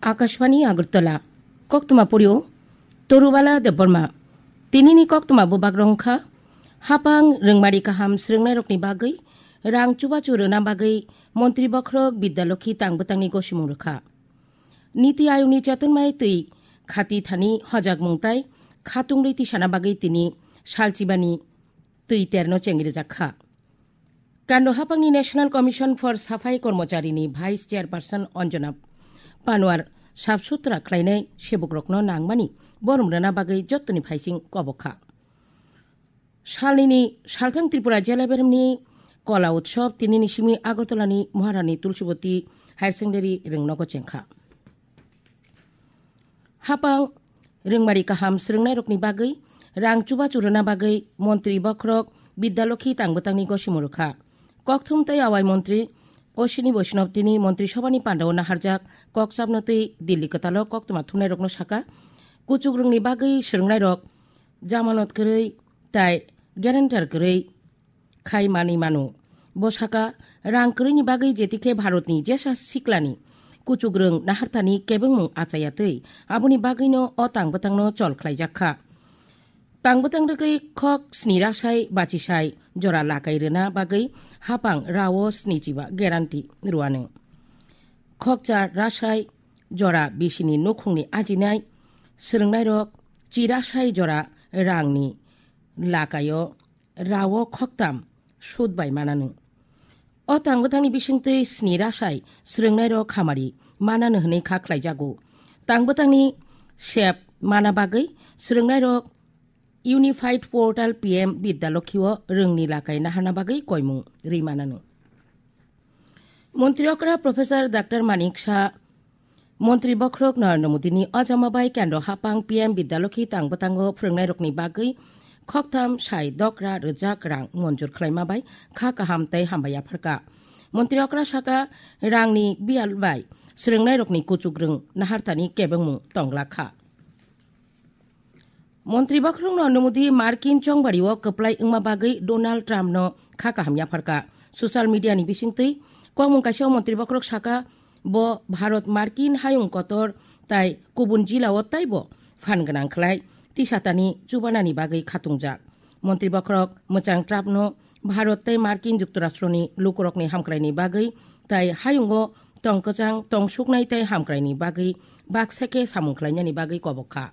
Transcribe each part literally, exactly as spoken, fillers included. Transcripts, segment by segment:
Akashvani Agartala. Koktwma purio Torubala Debbarma. Tinini koktwma bubagrong kha: hapang rwngmari kaham srwngnairokni bagwi rang chubachu rwna bagwi Montri Bokhorok Bidya Lokhi tang bwtangni gosimung rwkha. Niti Ayogni chetonmai twi khati thani hojakmung tai khatungwi tisana bagwi tini salchibani twi terno chengwi rwjak kha. Kando hapangni National Commission for Safai Kormocharini Vice Chairperson Anjana Panwar sap sutra khlainai sebukrokno nangmani borom rwna bagwi jottoni phaising kobok kha. Salnini salthang Tripura Jela Beremni Kola Utsob tinini simi Agartalani Maharani Tulsiboti Higher Secondary rwngnogo chengkha. Hapang rwngmari kaham srwngnairokni bagwi rang chubachu rwna bagwi Montri Bokhorok Bidya Lokhi tang bwtangni gosimung rwkha. Kokthum tei Awai Montri Ashwini Vaishnaw tini Montri Sobhani pandao naharjak kokchapno twi Delhi kwtalo koktwma thumnairokno saka, kuchukrwngni bagwi srwngnairok jamanot kwrwi tai guarantor kwrwi khai manwi mano. Bo saka, rang kwrwini bagwi jetikhe Bharatni jesa siklani kuchukrwng naharthani kebengmung achaya twi aboni bagwino o tang bwtangno chol khlaijak kha. Tang bwtang rwgwi khok sni rasai bachisai jora lakai rwna bagwi hapang rao sni chiba guarantee rwano. Khokcha rasai jora bisini nukhungni ajinai srwngnairok chi rasai jora rangni lakaio rao khoktam sud bai mananw. O tang bwtangni bisingtwi sni rasai srwngnairok hamari mananw hwnwi kha khlaijago. Tang bwtangni sep mana bagwi srwngnairok Unified Portal P M Bidya Lokhi o rwngni lakai naharna bagwi koimung rwi mananw. Montri okra Professor Doctor Manik Saha Montri Bokhorok Narendra Modini ojama bai kendro hapang P M Bidya Lokhi tang bwtango phrwngnairokni bagwi khoktham sai dokra rwjak rang monjur khlaima bai kha kaham tei hambai yapharkha. Montri okra saka, rangni biyal bai srwngnairokni kuchukrwng naharthani kebengmung tongla kha. Montri Bokhorok Narendra Modi Markin chongbario kwplai wngma bagwi Donald Trump no kha kaham yapharkha. Social media ni bisingtwi kokmung kaisa o Montri Bokhorok saka, bo Bharat Markin hayung kotor tai kubun jila o taibo phan gwnang khlai tisatani chubanani bagwi khatungjak. Montri Bokhorok mwchang Trump no Bharat tei Markin Juktorashtroni lukurokni hamkraini bagwi tai hayungo tong kwchang tong suknai tei hamkraini bagwi baksa khe samung khlainani bagwi kobok kha.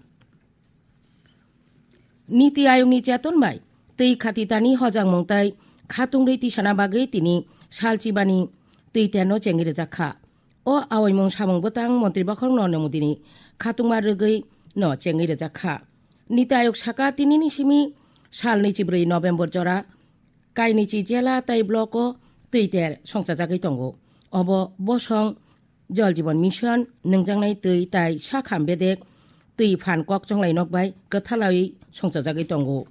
Niti Ayogni cheton bai twi khatitani hojangmung tai khatungwi tisana bagwi tini salchibani twi terno chengwi rwjak kha. O awaimung samung bwtang Montri Bokhorok Narendra Modini khatungma rwgwi no chengwi rwjak kha. Niti Ayog saka, tinini simi sal naichi bwrwi November jora kainichi jela tei block o twi ter songchajagwi tongo. Obo bosong Jal Jeevan Mission, nwngjaknai twi tai sakham bedek twi phan kok chonglai nok bai kwthalai songchajagwi tongo.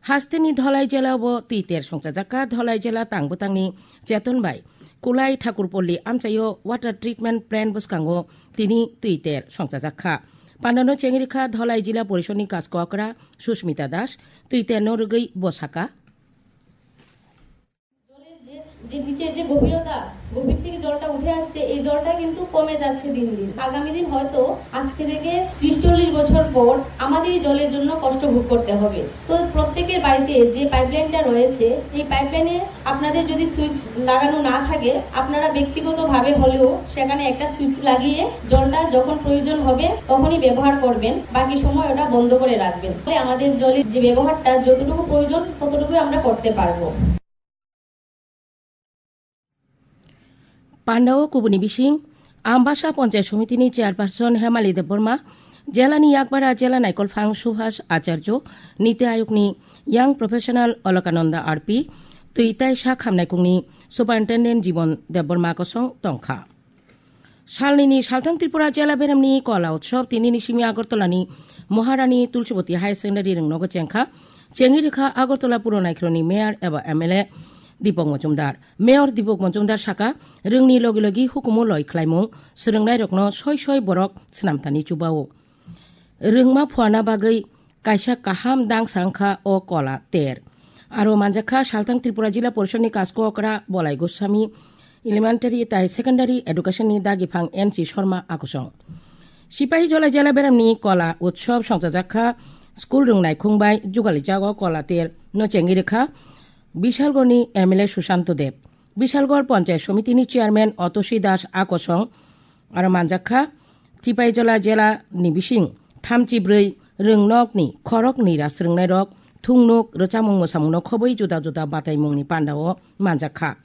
Hasteni Dholai jela bo twi ter songchajak kha. Dholai jela tang bwtangni cheton bai Kulai Thakurpolli amchaio water treatment plant bwskango tini twi ter songchajak kha. Pandano chengri kha Dholai Jila Porishoni Kaskokra Susmita Das, twi terno rwgwi bo saka. জলের যে, যে নিচের যে গভীরতা, গভীর থেকে জলটা উঠে আসছে, এই জলটা কিন্তু কমে যাচ্ছে দিন দিন। আগামী দিন হয়তো আজকে থেকে ত্রিশ চল্লিশ বছর পর আমাদেরই জলের জন্য কষ্ট ভোগ করতে হবে। তো প্রত্যেকের বাড়িতে যে পাইপলাইনটা রয়েছে, এই পাইপলাইনে আপনাদের যদি সুইচ লাগানো না থাকে, আপনারা ব্যক্তিগতভাবে হলেও সেখানে একটা সুইচ লাগিয়ে জলটা যখন প্রয়োজন হবে তখনই ব্যবহার করবেন, বাকি সময় ওটা বন্ধ করে রাখবেন। তাহলে আমাদের জলের যে ব্যবহারটা যতটুকু প্রয়োজন ততটুকুই আমরা করতে পারবো। Pandao kubuni bising Ambasa Panchayat Somitini Chairperson Hemali Debbarma, jelani yakbara jela naikolphang Subhas Acharjo, Niti Ayogni Young Professional Alakananda R P, twi tai sak hamnaikungni Superintendent Jibon Debbarma kosong tongkha. Salnini salthang Tripura jela beremni Kola Utsob tinini simi Agartalani Maharani Tulsiboti Higher Secondary rwngnogo chengkha. Chengwi rwkha Agartala Puro Naikhoroni Mayor eba M L A Dipok Mojumdar. Mayor Dipok Mojumdar saka, rwngni logi logi hukumu loi khlaimung, swrwngnairokno soi soi borok swnamthani chubao. Rwngma phuarna bagwi kaisa kaham dangsa wngkha o Kola ter. Aro manjakha salthang Tripura Jila Porishadni Kaskokra Bolai Goswami, Elementary tai Secondary Education ni dagiphang N C Sharma akosong. Sipahijola jela beramni Kola Utsav songchajakha school rwngnai khungbai jugalijago Kola ter no chengwi rwkha Bishalgorni M L A Sushanto Deb. Bishalgor Panchayat Somitini Chairman Otoshi Das akosong aro manjakha Sipahijola jela ni bising thamchi bwrwi rwngnokni khorok nwi ra srwngnairok thungnuk rwchapmung mwsamungno khobwi juda juda bataimungni pandao manjakha.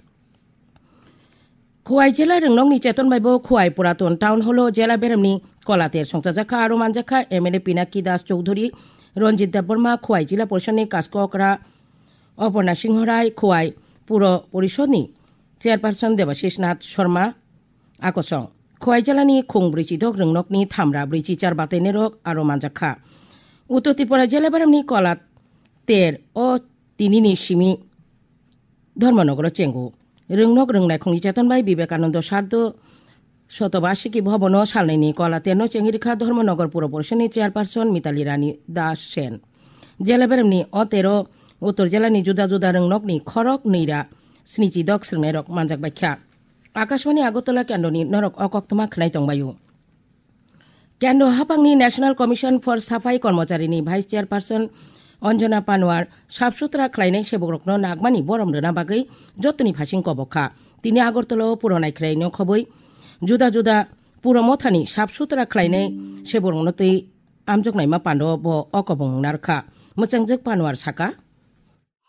Khowai jela rwngnokni cheton bai bo Khowai Puraton Town Hall o jela beremni Kola ter songchajakha aro manjakha M L A Pinaki Das Chowdhury, Ranjit Debbarma, Khowai Jila Porishadni Kaskokra Oporna Singho Rai, Khowai Puro Porishadni Chairperson Debashish Nath Sharma, akosong. Khowai jelani khung brwichi dok rwngnokni thamra brwichi char batainairok aro manjakha. Uttor Tripura jela beremni Kola ter o tinini simi Dharmanagar o chengo. Rwngnok rwngnai khungni cheton bai Vivekananda Sardo Sotobasiki Bhabono salnwini Kola terno chengwi rwkha Dharmanagar Puro Porishadni Chairperson Mitali Rani Das Sen. Jela beremni o tero Uttor jelani juda juda rwngnokni khorok nwi ra snichi dok srwngnairok manjak baikha. Akashvani Agartala kendroni norok o koktwma khwnai tongbaio. Kendro haphangni National Commission for Safai Kormocharini Vice Chairperson Anjana Panwar sap sutra khlainai sebokrokno nagmani borom rwna bagwi jottoni phasing kobok kha. Tini Agartala o puro naikhwraino khobwi juda juda puro mothani sap sutra khlainai sebokrokno twi amjoknaima pando bo o kobong narwkha. Mwchangjak Panwar saka.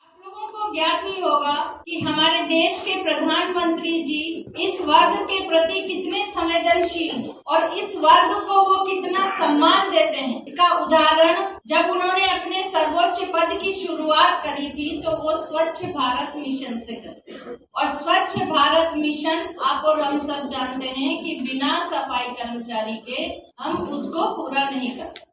आप लोगों को ज्ञात ही होगा कि हमारे देश के प्रधानमंत्री जी इस वर्ग के प्रति कितने संवेदनशील हैं और इस वर्ग को वो कितना सम्मान देते हैं। इसका उदाहरण, जब उन्होंने अपने सर्वोच्च पद की शुरुआत करी थी, तो वो स्वच्छ भारत मिशन से करते हैं। और स्वच्छ भारत मिशन, आप और हम सब जानते हैं कि बिना सफाई कर्मचारी के हम उसको पूरा नहीं कर सकते।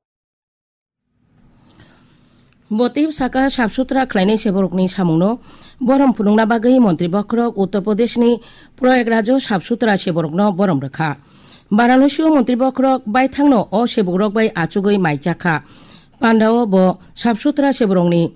Bo tei saka sap sutra khlainai seborokni samungno borom phunukna bagwi montri bokhorok Uttar Pradeshni Prayagraj o sap sutra seborokno borom rwkha. Varanasi o montri bokhorok baithangno o sebokrok bai achugwi mai chakha. Pandao bo sap sutra seborokni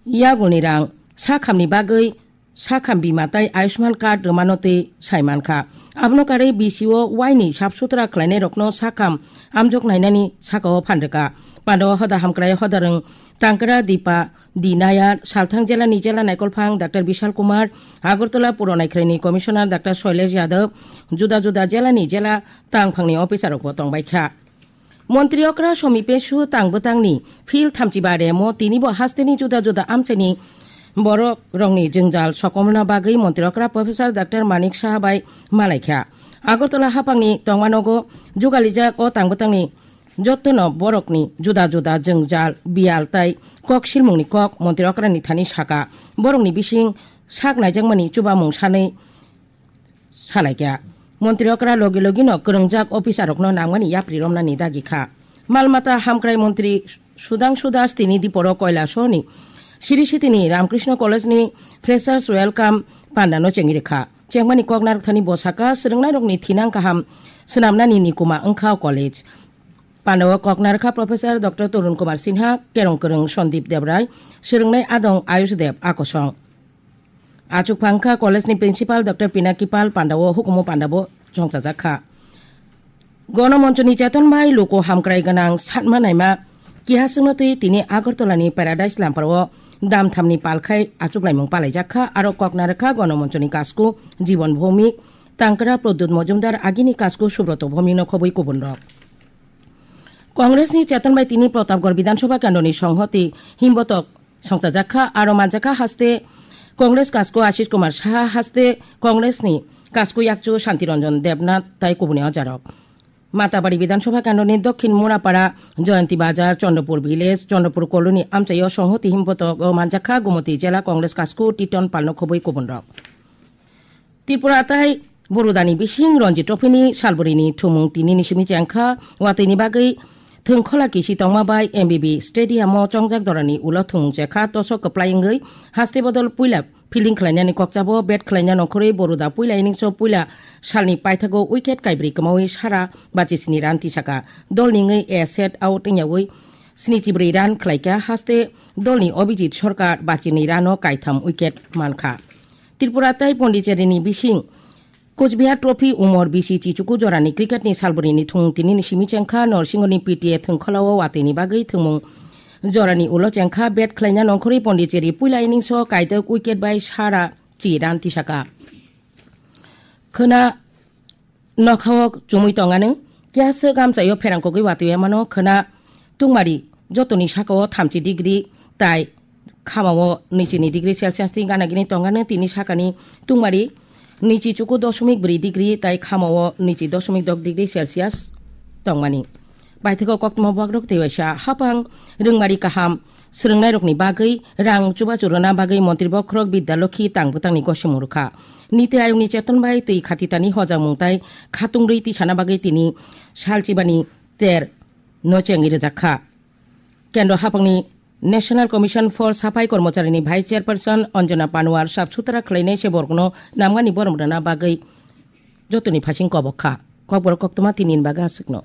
yagulni rang sakhamni bagwi sakham bima tei Ayushman card rwmano tei sai mankha. Abono karwi B C O Y ni sap sutra khlainairokno sakham amjok nainani sakao phan rwkha. Pando hoda hamkrai hodarwng Tangkra Dipa Di Nayar, Salthang jelani jela naikolphang Doctor Bishal Kumar, Agartala puro naikhwraini Commissioner Doctor Shailesh Yadav, juda juda jelani jela tangphangni officerrokbo tongbaikha. Montri okra Somi Pesu tang bwtangni phil thamchiba remo tinibo hasteni juda juda amchaini borok rokni jwngjal sokomna bagwi montri okra Professor Doctor Manik Saha bai malaikha. Agartala haphangni tongmanogo jugalijak o tang bwtangni jottono borokni juda juda jwngjal, biyal tai kok silmungni kok montri okrani thani saka. Borokni bising sak naijakmani chubamung sanwi salaikha. Montri okra logi logino kwrwngjak officerrokno nangmani yapri romnani dagi kha. Malmata hamkrai montri Sudhangshu Das tini diporo Koilasoni Sri Sitini Ramakrishna College ni Freshers Welcome pandano chengwi rwkha. Chengmani kok narwkthani bo saka, swrwngnairokni thinang kaham swnamnani nikuma wngkha o college. Pandao kok narwkha Professor Doctor Tarun Kumar Sinha, kerong kwrwng Sandip Debrai, swrwngnai adong Ayush Deb akosong. Achuk phangkha college ni principal Doctor Pinaki Pal pandao hukumu pandabo chongchajak kha. Gonomonchoni cheton bai luku hamkrai gwnang satma naima kihaswkno twi tini Agartala ni Paradise Lampar o damthamni palkhai achuklaimung palaijak kha, aro kok narwkha Gonomonchoni kasku Jibon Bhowmik, Tangkra Pradyut Mojumdar, agini kasku Subroto Bhowmik no khobwi kubun rok. Congress ni cheton bai tini Pratapgarh Bidhan Sabha kendroni songhoti himbotok songchajak kha, aro manjakha haste Congress kasku Ashish Kumar Saha, haste Congress ni kasku yakchu Shanti Ranjan Debnath tai kubuni ojarok. Matabari Bidhan Sabha kendroni Dokhin Murapara, Jayanti Bazar, Chandrapur Village, Chandrapur Colony amchaio songhoti himbotok o manjakha Gumoti Jela Congress kasku Titon Palno khobwi kubun rok. Tripura tai Borudani bising Ranji Trophy ni salbwrwini thumung tini ni simi chengkha, watwi ni bagwi thwngkhola kisi tongma bai M B B Stadium o chongjak jorani ulo thumung chekha, tosok kwplai wngwi haste bodol puila fielding khlainani kokchabo bat khlaina nongkhorwi Boruda puila innings o puila salni paithago wicket kaibrwi kwmawi sara bachisni run tisaka. Dolni wngwi a set out wngyawi snichibrwi run khlaikha, haste dolni Abhijit Sarkar bachinwi run o kaitham wicket mankha. Tripura tei Pondicherry ni bising Coochbehar Trophy umor bisi chichuku jorani cricket ni salbrini thung tinini simi chengkha Norsingoni P T A thwngkholao watwini bagwi thwngmung jorani ulo chengkha bet khlaina nongkhorwi Pondicherry puila innings o kaidok wicket bai sara chi run tisaka. Khwna nokhao chumui tongani, kiyaswk amchaio pherangkogwi watwi mano khwna tungmari jotoni sakao thamchi degree tai khamao nwichini degree Celsius ni gana gini tongani, tini sakani tungmari nwichi chuku dosmik bwrwi degree tai khamao nwichi dosmik dok degree Celsius tongmani. Baithego koktwma buakrok tei waisa hapang rwngmari kaham swrwngnairokni bagwi rang chubachu rwna bagwi Montri Bokhorok Bidya Lokhi tang bwtangni gosimung rwkha. Niti Ayogni cheton bai twi khatitani hojangmung tai khatung rwi tisana bagwi tini salchibani ter no chengwi rwjakha. Kendro hapangni National Commission for Saphai Kormocharini Vice Chairperson Anjana Panwar sap sutra khwlainai se borokno namgani borom rwna bagwi jotoni phasing kobok kha. Kokborok koktwma tini ni bagwi aswkno.